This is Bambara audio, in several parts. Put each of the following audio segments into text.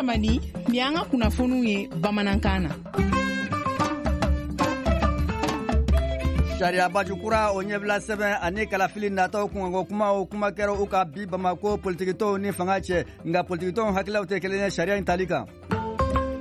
Tamani, nin y'an ka kunnafoniw ye bamanankan na. Sariya baju kura o ɲɛbila sɛbɛn ani kalafili nataw kunkanko kumaw kuma kɛra u ka bi Bamako politikitɔnw ni fanga cɛ, nka politikitɔnw hakililaw tɛ kelen ye sariya in tali kan.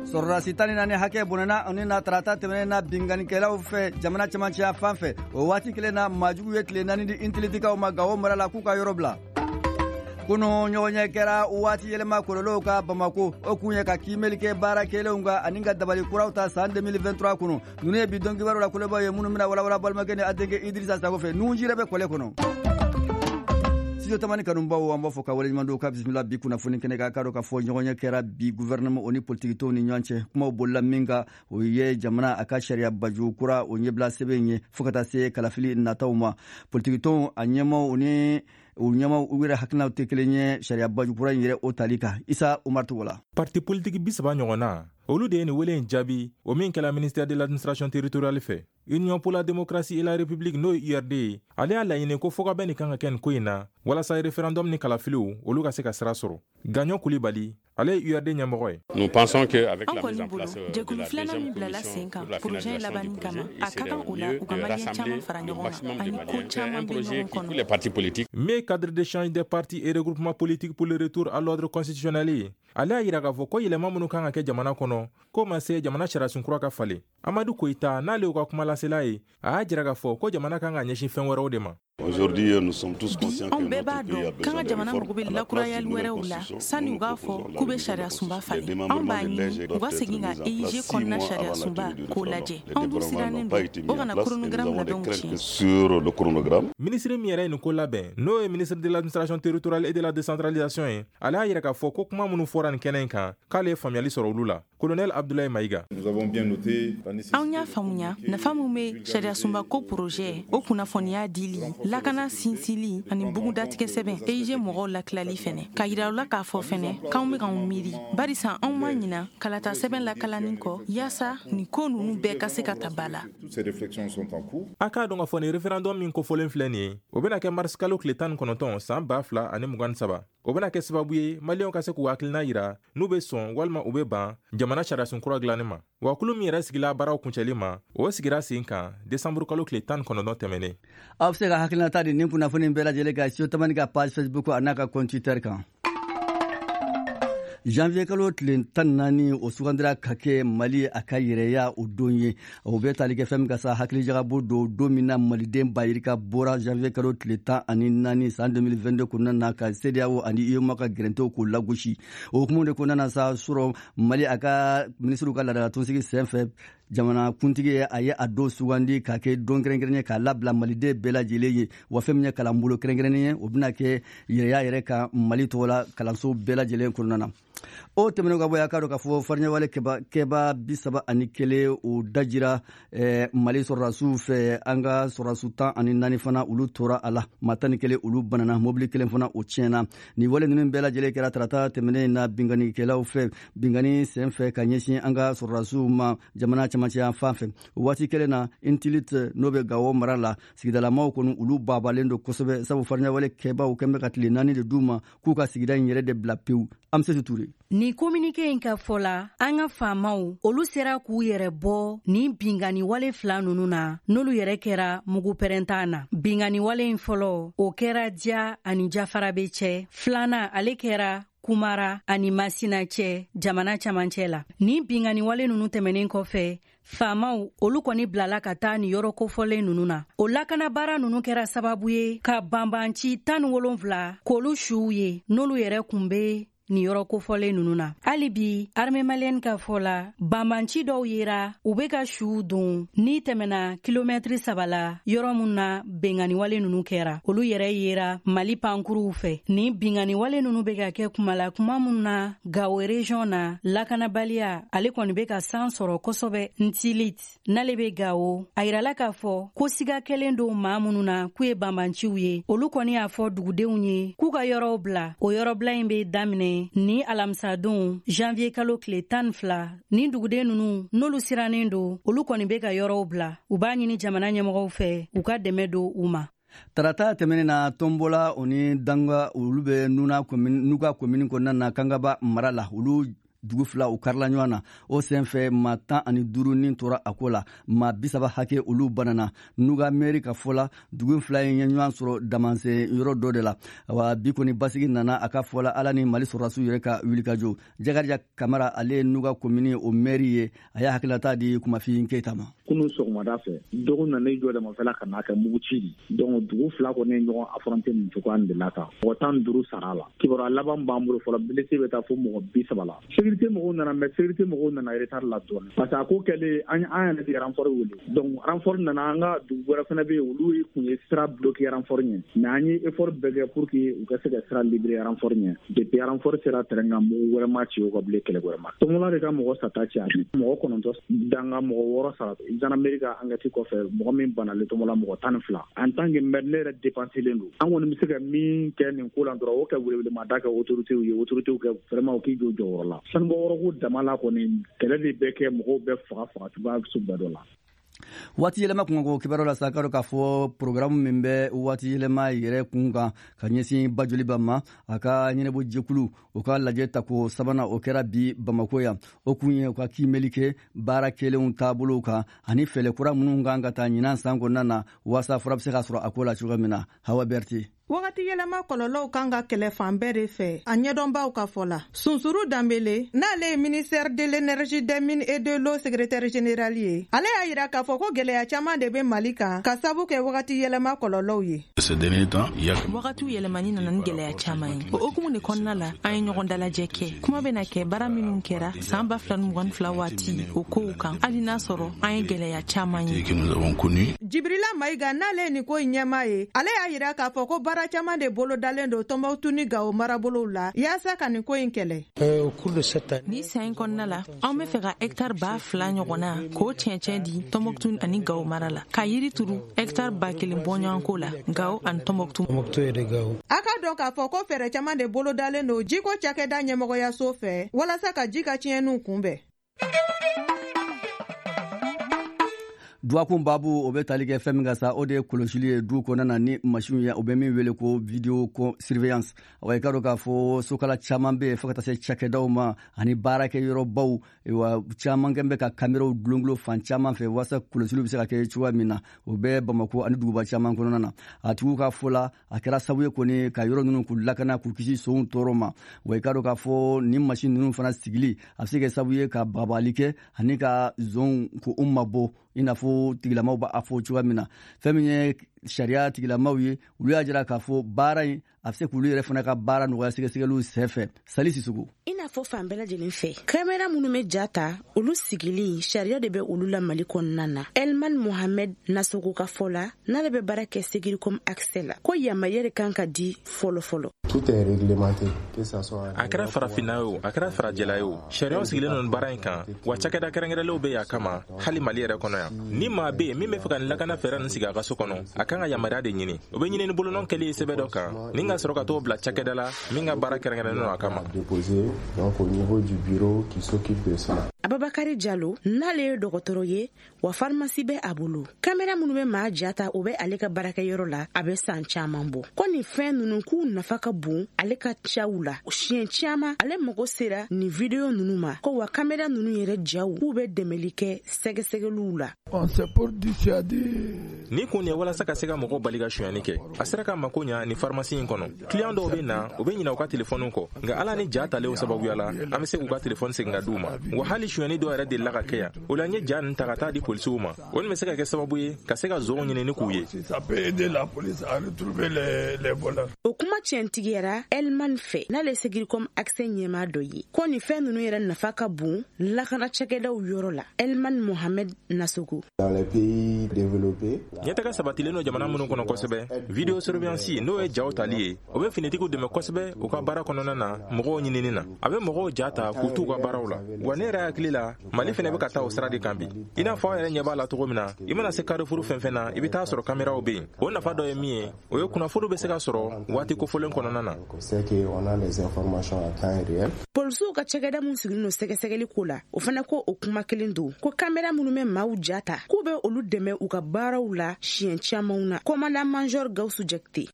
Sɔrɔdasi 14 hakɛ bɔnɛna u ni na tarata tɛmɛnen na binkannikɛlaw fɛ jamana cɛmancɛya fan fɛ. O waati kelen na, maajugu ye tile 4 di Intilitikaw ma Gawo mara la k'u ka yɔrɔ bila. Kunu ɲɔgɔnye kɛra waati yɛlɛma kɔlɔlɔw ka Bamako, o kun ye ka kiimɛli kɛ baara kɛlenw kan ani ka dabali kuraw ta san 2023 kɔnɔ. Ninnu ye bi don kibaru la kolobaw ye minnu bɛna walawala balimakɛ ni a denkɛ Idrissa Sago fɛ. Nunji yɛrɛ bɛ kɔlɛ kɔnɔ. Studio Tamani kanubaw, an b'a fɔ ka waleɲuman dɔn ka bisimila bi kunnafoni kɛnɛ kan. K'a dɔn k'a fɔ ɲɔgɔnye kɛra bi gouvernement o ni politikitɔnw ni ɲɔgɔn cɛ. Kumaw bolila min kan, o ye jamana a ka sariya baju kura o ɲɛbila sɛbɛn ye fo ka taa se kalafili nataw ma. Politikitɔnw a ɲɛmaw ni u ɲɛmaw, u yɛrɛ hakilinaw tɛ kelen ye sariya baju kura in yɛrɛ o tali kan. Isa Umar Togola. Parti politiki 30 ɲɔgɔn na, olu de ye nin wele in jaabi, o min kɛla ministère de l'Administration territoriale fɛ. Union pour la démocratie et la République, n'o ye URD ye, ale y'a laɲini ko fɔkabɛn nin kan ka kɛ nin ko in na walasa référendum ni kalafiliw olu ka se ka sira sɔrɔ. Gaɲɔ Kulibali, ale ye URD ɲɛmɔgɔ ye. Nous pensons que avec la mise en place jɛkulu filanan min bilala sen kan projet labanni kama, a ka kan o la u ka Maliyɛn caman fara ɲɔgɔn kan ani ko caman bɛ ɲɔgɔn kɔnɔ. Les partis politiques. Mais cadre d'échange des partis et regroupements politiques pour le retour à l'ordre constitutionnel ye, ale y'a yira k'a fɔ ko yɛlɛma minnu kan ka kɛ jamana kɔnɔ, k'o ma se jamana sariyasun kura ka falen. Amadu Koyita, n'ale y'u ka kumalasela ye, a y'a jira k'a fɔ ko jamana kan ka ɲɛsin fɛn wɛrɛw de ma. Aujourd'hui, nous sommes tous conscients que bɛɛ b'a dɔn k'an ka jamana mago bɛ lakurayali wɛrɛw la sani u k'a fɔ k'u bɛ sariya sunba falen. Anw b'a ɲini u ka segin ka EIG kɔnɔna sariya sunba k'o lajɛ. Anw dun sirannen don o kana chronogramme labɛnw tiɲɛ. Sur le chronogramme. Minisiri min yɛrɛ ye nin ko labɛn, n'o ye ministre de l'Administration territoriale et de la Décentralisation ye, ale y'a yira k'a fɔ ko kuma minnu fɔra nin kɛnɛ in kan, k'ale ye faamuyali sɔrɔ olu la. Colonel Abdoulaye Maïga. Nous avons bien noté. Anw y'a faamuya nafa min bɛ sariya sunba ko projet o kunnafoniya dili, lakana sinsili ani bugun datigɛ sɛbɛn EIG mɔgɔw lakilali fɛnɛ, ka yira u la k'a fɔ fɛnɛ k'anw bɛ k'anw miiri, barisa anw ma ɲina kalata sɛbɛn lakalanni kɔ, yaasa nin ko ninnu bɛɛ ka se ka ta ba la. Toutes ces réflexions sont en cours. A k'a dɔn k'a fɔ nin référendum min kofɔlen filɛ nin ye, o bɛna kɛ mars kalo tile 19 san 2023. O bɛna kɛ sababu ye Maliyɛnw ka se k'u hakilina yira n'u bɛ sɔn walima u bɛ ban jamana sariyasun kura dilanni ma. Wa kulu min yɛrɛ sigila baaraw kuncɛli ma, o sigira sen kan desanburu kalo tile 19 tɛmɛnen. Aw bɛ se ka hakilinata di nin kunnafoni bɛɛ lajɛlen kan Studio Tamani ka page Facebook a n'a ka compte Twitter kan. Janvier kalo tile 14, o sugandira ka kɛ Mali a ka yɛrɛya o don ye. O bɛ tali kɛ fɛn min ka sa, hakilijagabɔ don, don min na Maliden bayirika bɔra janvier kalo tile 14 san 2022 kɔnɔna na ka CEDEAO ani UEMOA ka gɛrɛntɛw k'o lagosi. O hukumu de kɔnɔna na sa, surɔ Mali a ka minisiriw ka laadalatunsigi senfɛ, jamana kuntigi ye a ye a don sugandi ka kɛ don kɛrɛnkɛrɛnnen ye k'a labila Maliden bɛɛ lajɛlen ye. Wa fɛn min ye kalanbolo kɛrɛnkɛrɛnnen ye, o bɛna kɛ yɛrɛya yɛrɛ kan Mali tɔgɔ la kalanso bɛɛ lajɛlen kɔnɔna na. O tɛmɛnen ka bɔ yen, a k'a dɔn k'a fɔ fariɲɛwale kɛba 31, o dajira Mali sɔrɔdasiw fɛ. An ka sɔrɔdasiw 14 fana, olu tora a la. Maa 11, olu banana. Mobili kelen fana, o tiɲɛna. Nin wale ninnu bɛɛ lajɛlen kɛra tarata tɛmɛnen na binkannikɛlaw fɛ, binkanni sen fɛ ka ɲɛsin an ka sɔrɔdasiw ma jamana cɛmancɛ fan fɛ. O waati kelen na, Intilit, n'o bɛ Gawo mara la, sigidalamaw kɔni, olu babalen don kosɛbɛ, sabu fariɲɛwale kɛbaw kɛn bɛ ka tile 4 de d'u ma k'u ka sigida in yɛrɛ de bila pewu. Amsetu Ture. Nin communiqué in ka fɔ la, an ka faamaw olu sera k'u yɛrɛ bɔ nin binkanni wale fila nunu na, n'olu yɛrɛ kɛra mugu pɛrɛntan na. Binkanni wale in fɔlɔ, o kɛra Diya ani Jafarabe cɛ. Filanan, ale kɛra Kumara ani Masina cɛ jamana camancɛ la. Nin binkanni wale nunu tɛmɛnen kɔfɛ, faamaw olu kɔni bilala ka taa nin yɔrɔ kofɔlen nunu na. O lakanabaara nunu kɛra sababu ye ka banbanci 17 k'olu suw ye, n'olu yɛrɛ kun be nin yɔrɔ kofɔlen nunu na. Hali bi, armée malienne ka fɔ la, banbanci dɔw yera u be ka suw don n'i tɛmɛna kilomɛtiri 3 la, yɔrɔ mun na benganiwale nunu kɛra, olu yɛrɛ yera Mali pankuruw fɛ. Nin binganiwale nunu be ka kɛ kuma la kuma mun na Gawo région na, lakanabaliya ale kɔni be ka san sɔrɔ kosɛbɛ. Ntilit, n'ale be Gawo, a yirala k'a fɔ ko siga kɛlen don maa minnu na k'u ye banbanciw ye, olu kɔni y'a fɔ dugudenw ye k'u ka yɔrɔw bila. O yɔrɔbila in be daminɛ ni alamisadon janvier kalo tile 12. Ni duguden nunu, n'olu sirannen don, olu kɔni be ka yɔrɔw bila. U b'a ɲini jamana ɲɛmɔgɔw fɛ u ka dɛmɛ don u ma. Tarata tɛmɛnen na, Tɔnbɔla o ni Danga, olu bɛ Nuna, Nuga komini kɔnɔna na, Kangaba mara la, olu Dugu fila u karila ɲɔgɔn na. O senfɛ, maa 15 ni tora a ko la, maa 30 hakɛ olu banana. Nuga mɛri ka fɔ la, dugu fila in ye ɲɔgɔn sɔrɔ damansen yɔrɔ dɔ de la. Wa bi kɔni, basigi nana a ka fɔ la, Ala ni Mali sɔrɔdasiw yɛrɛ ka wulikajɔ. Jakarija Kamara, ale ye Nuga komini o mɛri ye, a y'a hakililata di Kumafin Keyita ma. Kunun sɔgɔmada fɛ, dɔgɔ nana i jɔ damafɛla ka n'a kɛ mugu ci di. Donc dugu fila kɔni ye ɲɔgɔn affronté nin cogoya de la tan. Mɔgɔ 15 sara la. Kibaruya laban b'an bolo fɔlɔ, blessé bɛ taa fo mɔgɔ 30 la. Sécurité mɔgɔw nana, mais sécurité mɔgɔw nana retard la dɔɔnin, parce que a ko kɛlen, an yɛrɛ de renfort wele. Donc renfort nana, an ka dugu wɛrɛ fana bɛ yen, olu tun ye sira bloqué renfort ɲɛ, mais an ye effort bɛɛ kɛ pour que u ka se ka sira libérer renfort ɲɛ. Depuis renfort sera terrain kan, mugu wɛrɛ ma ci o ka bilen, kɛlɛ wɛrɛ ma. Tɔmɔla de ka mɔgɔ sata caya, mɔgɔ 9, danga mɔgɔ 6 sara. Gendarmerie ka enquête kɔfɛ, mɔgɔ min banalen Tɔmɔla, mɔgɔ 12. En tant que maire, ne yɛrɛ dépensé len don. An kɔni bɛ se ka min kɛ nin ko la dɔrɔn, o kɛ welewelemada kɛ autorités ye, autorités kɛ vraiment u k'i jɔ jɔyɔrɔ la. Sanubɔyɔrɔ ko dama la kɔni, kɛlɛ de bɛ kɛ, mɔgɔw bɛ faga faga cogoya sugu bɛɛ dɔ la. Waati yɛlɛma kunkanko kibaruya la sa, k'a dɔn k'a fɔ programme min bɛ waati yɛlɛma yɛrɛ kun kan ka ɲɛsin Bajoliba ma, a ka ɲɛnabɔ jɛkulu o ka lajɛ tako sabanan, o kɛra bi Bamako yan. O kun ye u ka kiimɛli kɛ baara kɛlenw taabolow kan ani fɛɛrɛ kura minnu kan ka taa ɲinan san kɔnɔna na, waasa fura bɛ se ka sɔrɔ a ko la cogo min na. Hawa Berti. Wagati yɛlɛma kɔlɔlɔw kan ka kɛlɛ fan bɛɛ de fɛ, a ɲɛdɔnbaw ka fɔ la. Sunsuru Danbele, n'ale ye ministère de l'Énergie, des Mines et de l'Eau secrétaire général ye, ale y'a yira k'a fɔ ko gwɛlɛya caaman de be Mali kan ka sabu kɛ wagati yɛlɛma kɔlɔlɔw ye. Wagatiw yɛlɛmani nana ni gwɛlɛya caaman ye. O hukumu de kɔnɔna la, an ye ɲɔgɔn dalajɛ kɛ. Kuma bena kɛ baara minw kɛra saan 2022 waati, o kow kan, hali n'a sɔrɔ an ye gwɛlɛya caaman ye. Jibrila Mayiga, n'ale ye nin ko in ɲɛma ye, ale y'a yira k'a fɔ ko baara caman de bolo dalen don Tɔnbɔkutu ni Gawo marabolow la yaasa ka nin ko in kɛlɛ. Ni san in kɔnɔna la, anw bɛ fɛ ka hɛktare 2000 ɲɔgɔnna k'o cɛncɛn di Tɔnbɔkutu ani Gawo mara la, ka yiri turu hɛktare 1000 bɔɲɔgɔnko la Gawo ani Tɔnbɔkutu. A ka dɔn k'a fɔ ko fɛɛrɛ caman de bolo dalen don jiko cakɛda ɲɛmɔgɔyaso fɛ walasa ka ji ka tiɲɛniw kunbɛn. Dɔgɔkun baabu, o bɛ tali kɛ fɛn min kan sa, o de ye kɔlɔsili ye du kɔnɔna na ni masiw ye, o bɛ min wele ko vidéo surveillance. Wa i ka dɔn k'a fɔ sokala caman bɛ yen, fo ka taa se cakɛdaw ma ani baarakɛyɔrɔbaw wa, caman kɛ bɛ ka kameraw dulondulo fan caman fɛ walasa kɔlɔsiliw bɛ se ka kɛ cogoya min na. O bɛ Bamako ani duguba caman kɔnɔna na. A tigiw ka fɔ la, a kɛra sababu ye kɔni ka yɔrɔ ninnu k'u lakana, k'u kisi sonw tɔɔrɔ ma. Wa i ka dɔn k'a fɔ nin masin ninnu fana sigili, a bɛ se kɛ sababu ye ka bagabagali kɛ ani ka zonw k'u mabɔ, i n'a fɔ tigilamaw b'a fɔ cogoya min na. Fɛn min ye sariya tigilamaw ye, olu y'a jira k'a fɔ baara in, a bɛ se k'olu yɛrɛ fana ka baara nɔgɔya sɛgɛsɛgɛliw senfɛ. Sali Sisugu. I n'a fɔ fan bɛɛ lajɛlen fɛ, kamera minnu bɛ ja ta, olu sigili sariya de bɛ olu la Mali kɔnɔna na. Elman Mohamed Nasogo ka fɔ la, n'ale bɛ baara kɛ Securicom Accès la, ko yamaruya de kan ka di fɔlɔ fɔlɔ. Tout est réglementé, que ça soit A kɛra farafinna ye o, a kɛra farajɛla ye o, sariyaw sigilen don baara in kan, wa cakɛda kɛrɛnkɛrɛnlenw bɛ yan kama. Hali Mali yɛrɛ kɔnɔ yan, ni maa bɛ yen min bɛ fɛ ka nin lakana fɛɛrɛ nin sigi a ka so kɔnɔ, a kan ka yamaruya de ɲini. O bɛ ɲini ni bolonɔ kɛli ye sɛbɛn dɔ kan, ni ka sɔrɔ ka t'o bila cakɛda la min ka baara kɛrɛnkɛrɛnnen don a kama. Déposé donc au niveau du bureau qui s'occupe de cela. Ababakari Jalo, n'ale ye dɔgɔtɔrɔ ye, wa farimasi bɛ a bolo, kamera minnu bɛ maa ja ta, o bɛ ale ka baarakɛyɔrɔ la a bɛ san caman bɔ. Ko nin fɛn ninnu k'u nafa ka bon ale ka caw la. Siɲɛ caman ale mago sera nin vidéo ninnu ma. Ko wa kamera ninnu yɛrɛ jaw k'u bɛ dɛmɛli kɛ sɛgɛsɛgɛliw la. Ni kun ye walasa ka se ka mɔgɔw bali ka sonyani kɛ. A sera ka mako ɲa ni farimasi in kɔnɔ. Kiliyan dɔw bɛ na, u bɛ ɲinɛ u ka telefɔniw kɔ, nka Ala ni ja talen sababuya la, an bɛ se k'u ka telefɔni segin ka di u ma. Wa hali sonyani dɔw yɛrɛ delila ka kɛ yan, o la n ye ja ninnu ta ka taa di polisiw ma. O nin bɛ se ka kɛ sababu ye ka se ka zonw ɲini ni k'u ye. O kuma tiɲɛtigiyara Elman fɛ, n'ale Securicom Accès ɲɛmaa dɔ ye, ko nin fɛn ninnu yɛrɛ nafa ka bon lakana cakɛdaw yɔrɔ la. Elman Mohamed Nasogo. Dans les pays développés, Ɲɛtaga sabatilen don jamana minnu kɔnɔ kosɛbɛ, vidéo surveillance, n'o ye jaw tali ye, o bɛ finitigiw dɛmɛ kosɛbɛ u ka baara kɔnɔna na, mɔgɔw ɲinini na. A bɛ mɔgɔw ja ta k'u t'u ka baaraw la. Wa ne yɛrɛ hakili hakili la, Mali fɛnɛ bɛ ka taa o sira de kan bi. I n'a fɔ aw yɛrɛ ɲɛ b'a la cogo min na, i mana se Carrefour fɛn fɛn na, i bɛ taa sɔrɔ kameraw bɛ yen. O nafa dɔ ye min ye, o ye kunnafoniw bɛ se ka sɔrɔ waati kofɔlen kɔnɔna na. Polisiw ka cakɛda min sigilen don sɛgɛsɛgɛli ko la, o fana ko o kuma kelen don, ko kamera minnu bɛ maaw ja ta, k'u bɛ olu dɛmɛ u ka baaraw la siɲɛ camanw na. Commandant major Gawusu Jakite.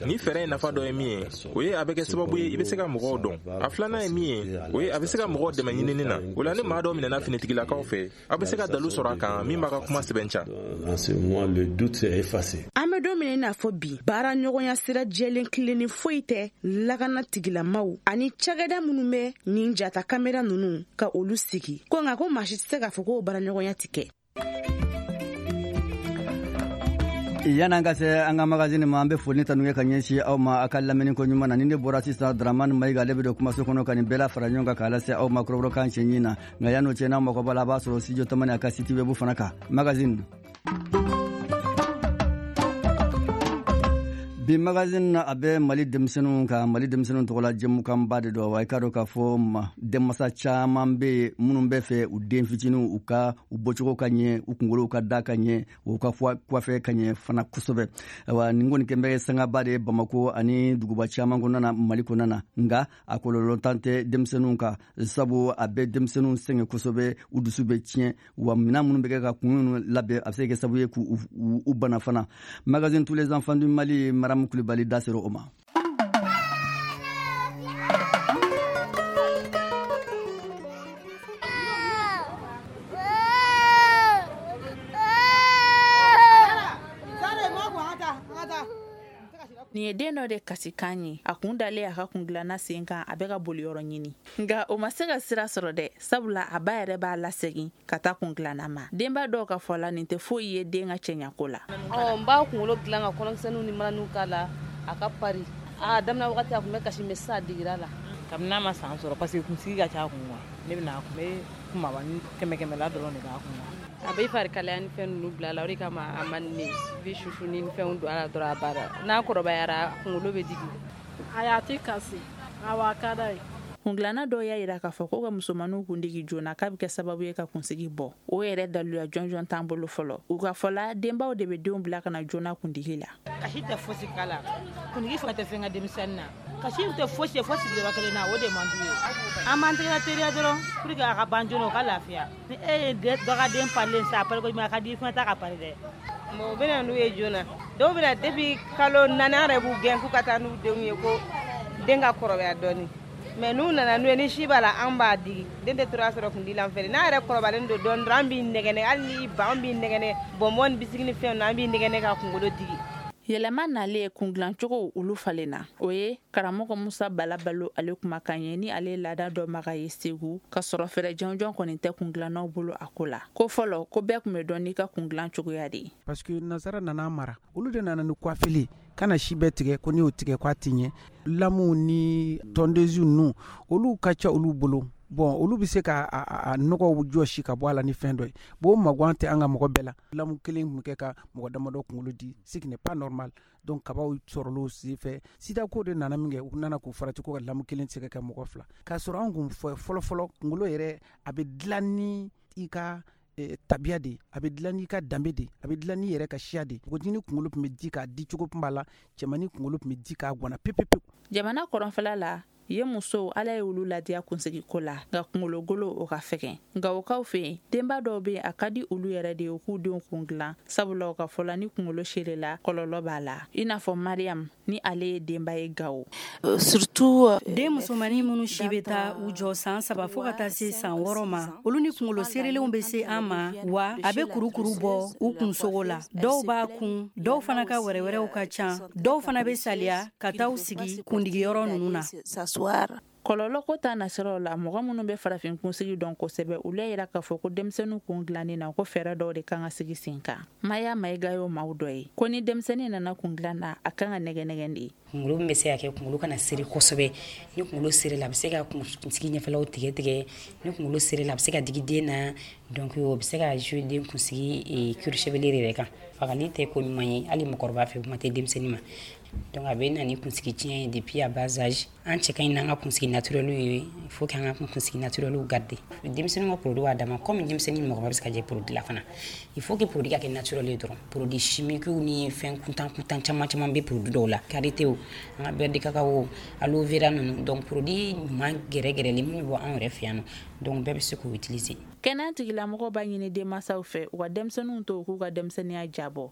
Ni fɛɛrɛ in nafa dɔ ye min ye, o ye a bɛ kɛ sababu ye i bɛ se ka mɔgɔw dɔn. A filanan ye min ye, o ye a bɛ se ka mɔgɔw dɛmɛ ɲinini na. O la ni maa dɔ minɛna finitigilakaw fɛ, aw bɛ se ka dalu sɔrɔ a kan min b'a ka kuma sɛbɛntiya. An bɛ don min na i n'a fɔ bi, baara ɲɔgɔnya sira jɛlen tilennen foyi tɛ lakana tigilamaw ani cakɛda minnu bɛ nin jata kamera ninnu ka olu sigi, ko nka ko maa si tɛ se k'a fɔ k'o baara ɲɔgɔnya tɛ kɛ. Yan'an ka se an ka magazine ma, an bɛ foli tanu kɛ ka ɲɛsin aw ma a ka lamɛnni ko ɲuman na. Ni ne bɔra sisan, Dramane Mayiga ale bɛ don kumaso kɔnɔ ka nin bɛɛ la fara ɲɔgɔn kan k'a lase aw ma kɔrɔbɔrɔkan cɛɲi na. Nka yan'o cɛ, n'aw mago b'a la, a b'a sɔrɔ studio Tamani a ka site web fana kan. Magazine bi magazine na, a bɛ Mali denmisɛnninw ka Mali denmisɛnninw tɔgɔla jɛmukanba de don. Wa i k'a dɔn k'a fɔ ma denmasa caman bɛ yen minnu bɛ fɛ u den fitininw u ka u bɔcogo ka ɲɛ, u kunkolow ka da ka ɲɛ, u ka coiffe ka ɲɛ fana kosɛbɛ. Ayiwa, nin kɔni kɛn bɛ sangaba de ye Bamako ani duguba caman kɔnɔna na Mali kɔnɔna na. Nka a kɔlɔlɔntan tɛ denmisɛnninw kan, sabu a bɛ denmisɛnninw sɛgɛn kosɛbɛ, u dusu bɛ tiɲɛ, wa minɛn minnu bɛ kɛ ka kun minnu labɛn, a bɛ se ka kɛ sababu ye k'u bana fana. Magazine tous les enfants du Mali, Maramu Kulibali da sera o ma. Nin ye den dɔ de kasikan ye. A kun dalen a ka kungilanna sen kan, a bɛ ka boliyɔrɔ ɲini, nka o ma se ka sira sɔrɔ dɛ, sabula a ba yɛrɛ b'a lasegin ka taa kungilanna ma. Denba dɔw ka fɔ la, nin tɛ foyi ye den ka cɛɲako la. N b'a kunkolo dilan ka kɔnɔkisɛninw ni mananiw k'a la, a ka pari. A daminɛ wagati a tun bɛ kasi, mais sisan a digira la. Kabini n'a ma san sɔrɔ, parce que kunsigi ka ca a kun wa, ne bɛna a kun bɛ kumaba ni kɛmɛ kɛmɛ la dɔrɔn de b'a kun wa. A bɛ fari kalaya ni fɛn ninnu bila a la, o de kama a man di ne ye. I bɛ susu ni fɛnw don a la dɔrɔn, a banna. N'a kɔrɔbayara, kunkolo bɛ digi. Ayi, a tɛ kasi, awɔ, a ka d'a ye. Kungilanna dɔw y'a yira k'a fɔ ko ka musomaninw kundigi joona k'a bɛ kɛ sababu ye ka kunsigi bɔ. O yɛrɛ daluya jɔnjɔn t'an bolo fɔlɔ. U ka fɔ la, denbaw de bɛ denw bila ka na joona kundigi la. Kasi tɛ fosi k'a la, kuntigi fana tɛ fɛn ka denmisɛnnin na. Kasi tɛ fosi ye fo sigiyɔrɔ kelen na, o de man d'u ye. An b'an tɛgɛ teliya dɔrɔn pour que a ka ban joona, o ka lafiya. Ni e ye dɔ ka den parilen sa, a pari ko ɲuman, a ka di i fana ta ka pari dɛ. Bon, u bɛ na n'u ye joona. Dɔw bɛ na depuis kalo 4, an yɛrɛ b'u gɛn k'u ka taa n'u denw ye, ko den ka kɔrɔbaya dɔɔni. Mais n'u nana n'u ye, ni si b'a la, an b'a digi. Den tɛ tora sɔrɔ kundi la an fɛ. N'a yɛrɛ kɔrɔbalen don dɔɔni dɔrɔn, an b'i nɛgɛnɛ, hali n'i ban, an b'i nɛgɛnɛ bonbon ni bisiki ni fɛnw na, an b'i nɛgɛnɛ ka kunkolo digi. Yɛlɛma nalen, kungilancogo olu falenna. O ye karamɔgɔ Musa Bala Balo ale kumakan ye, ni ale ye laada dɔnbaga ye Segu, ka sɔrɔ fɛɛrɛ jɔnjɔn kɔni tɛ kungilannaw bolo a ko la. Ko fɔlɔ, ko bɛɛ tun bɛ dɔn n'i ka kungilan cogoya de ye. Parce que nansara nana mara, olu de nana ni coiffeli kana si bɛɛ tigɛ, ko n'i y'o tigɛ k'a tɛ ɲɛ. Lamuw ni tondeuse ninnu, olu ka ca olu bolo. Bon, olu bɛ se ka a nɔgɔw jɔsi ka bɔ a la ni fɛn dɔ ye. Bon, o maguwan tɛ an ka mɔgɔ bɛɛ la. Lamu kelen tun bɛ kɛ ka mɔgɔ damadɔ kunkolo di, ce qui n'est pas normal. Donc kabaw sɔrɔla o sen fɛ. Sida ko de nana min kɛ, u nana k'u farati ko ka lamu kelen tɛ se ka kɛ mɔgɔ fila. K'a sɔrɔ an kun fɔlɔ fɔlɔ kunkolo yɛrɛ a bɛ dilan ni i ka tabiya de, a bɛ dilan n'i ka danbe de, a bɛ dilan n'i yɛrɛ ka siya de. Npogotiginin kunkolo tun bɛ di k'a di cogo tun b'a la, cɛmannin kunkolo tun bɛ di k'a gwana pepepewu. Jamana kɔrɔnfɛla la ye, musow Ala ye olu ladiya kunsigiko la, nka kunkologolo o ka fɛgɛn. Nka o kaw fɛ yen, denba dɔw bɛ yen, a ka di olu yɛrɛ de ye u k'u denw kun dilan, sabula u ka fɔ la, ni kunkolo serela, kɔlɔlɔ b'a la, i n'a fɔ Mariam, ni ale ye denba ye Gawo. Surtout den musomannin minnu si bɛ taa u jɔ san 3 fo ka taa se san 6 ma, olu ni kunkolo seerelenw bɛ se an ma, wa a bɛ kurukuru bɔ u kunsogo la. Dɔw b'a kun, dɔw fana ka wɛrɛwɛrɛw ka ca, dɔw fana bɛ saliya ka taa u sigi kundigiyɔrɔ ninnu na. Kɔlɔlɔ ko ta nasiraw la, mɔgɔ minnu bɛ farafin kunsigi dɔn kosɛbɛ, olu y'a yira k'a fɔ ko denmisɛnninw kun dilanni na, ko fɛɛrɛ dɔw de kan ka sigi sen kan. Maya Mayiga y'o maaw dɔ ye, ko ni denmisɛnnin nana kun dilan na, a kan ka nɛgɛ nɛgɛ de. Kunkolo min bɛ se ka kɛ kunkolo kana seri kosɛbɛ. Ni kunkolo serila, a bɛ se ka kunsigi ɲɛfɛlaw tigɛ tigɛ. Ni kunkolo serila, a bɛ se ka digi den na. Donc o bɛ se ka jouer den kunsigi cuir chevelu yɛrɛ kan. Fagali tɛ ko ɲuman ye hali mɔgɔkɔrɔba fɛ, kuma tɛ denmisɛnnin ma. Donc a bɛ na ni kunsigi tiɲɛ ye depuis à bas âge. An cɛ ka ɲi n'an ka kunsigi naturel ye, il faut que an ka kunsigi naturel garder. Denmisɛnninw ka produit b'a dama, comme denmisɛnnin mɔgɔba bɛ se ka jɛ produit la fana. Il faut que produit ka kɛ naturel ye dɔrɔn. Produit chimique ni fɛn kuntan kuntan caman caman bɛ produit dɔw la, karité o, an ka beurre de cacao, aloe vera ninnu. Donc produit ɲuman gɛrɛgɛrɛlen minnu bɛ bɔ anw yɛrɛ fɛ yan nɔ, donc bɛɛ bɛ se k'o utiliser. Kɛnɛya tigilamɔgɔw b'a ɲini denmansaw fɛ u ka denmisɛnninw to u k'u ka denmisɛnninya jabɔ.